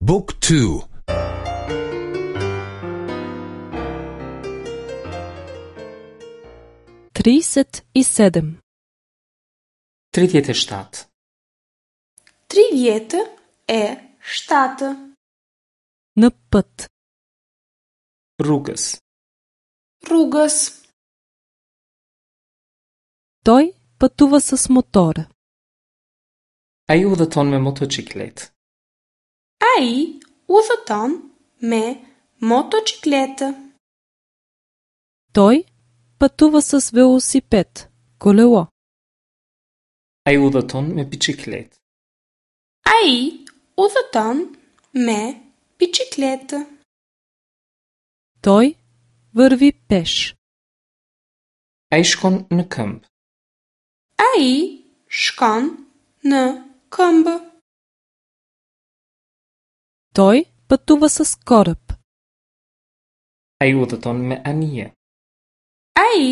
บุ๊กทู 37 37. 37. Në pët. Rrugës. Rrugës. Той пътува с мотора. Ai udhëton me motoçikletë. Ai udhëton me motoçikletë. Той пътува с велосипед, колело. Ai udhëton me biçikletë. Ai udhëton me biçikletë. Той върви пеш. Ai shkon në këmbë. Ai shkon në këmbë. Той пътува с кораб. Ai udhëton me anije. Ai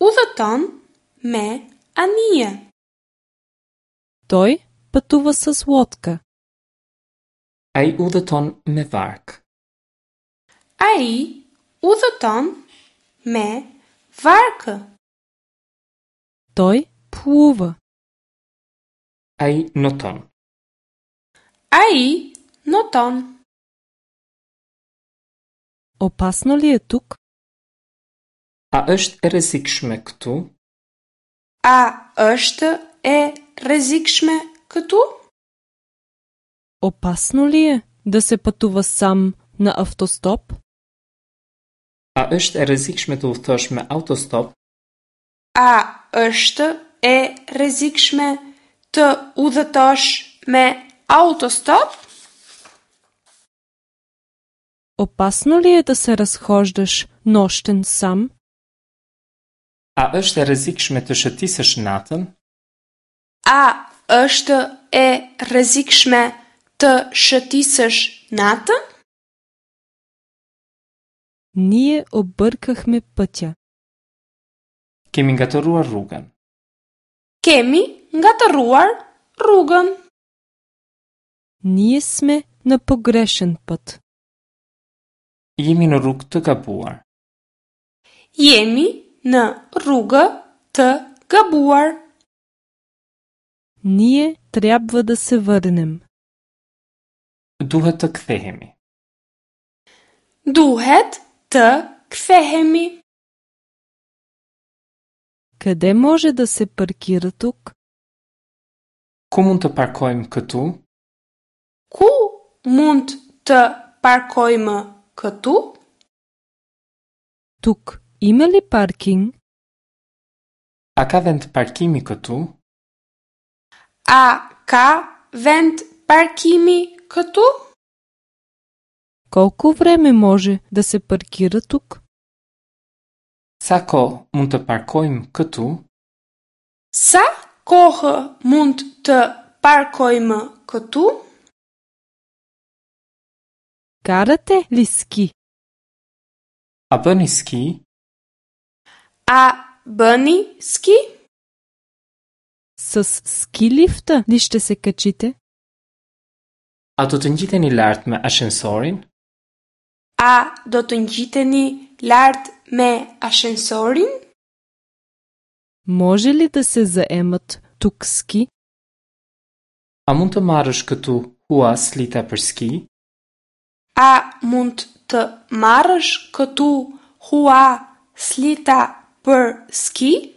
udhëton me anije. Той пътува с лодка. Ai udhëton me varkë. Ai udhëton me varkë. Той плува. Ai noton. Ai noton. Опасно ли е тук? A është e rrezikshme këtu? A është e rrezikshme këtu? Опасно ли е да се пътува сам на автостоп? A është e rrezikshme të udhëtosh me autostop? A është e rrezikshme të udhëtosh me autostop? Опасно ли е да се разхождаш нощем сам? A është e rrezikshme të shëtisësh natën? A është e rrezikshme të shëtisësh natën? Ние объркахме пътя. Kemi ngatërruar rrugën. Kemi ngatërruar rrugën. Ние сме на погрешен път. Jemi në rrugë të gabuar. Jemi në rrugë të gabuar. Ние трябва да се върнем. Duhet të kthehemi. Duhet të kthehemi. Къде може да се паркира тук? Ku mund të parkojmë këtu? Ku mund të parkojmë këtu? Тук има ли паркинг? A ka vend parkimi këtu? A ka vend parkimi këtu? Колко време може да се паркира тук? Sa kohë mund të parkojmë këtu? Sa kohë mund të parkojmë këtu? Карате ли ски? A bëni ski? A bëni ski? С ски лифта ли ще се качите? A do të ngjiteni lart me ashensorin? A do të ngjiteni lart me ashensorin? Може ли да се заемат тук ски? A mund të marrësh këtu hua slita për ski? A mund të marrësh këtu hua slita për ski?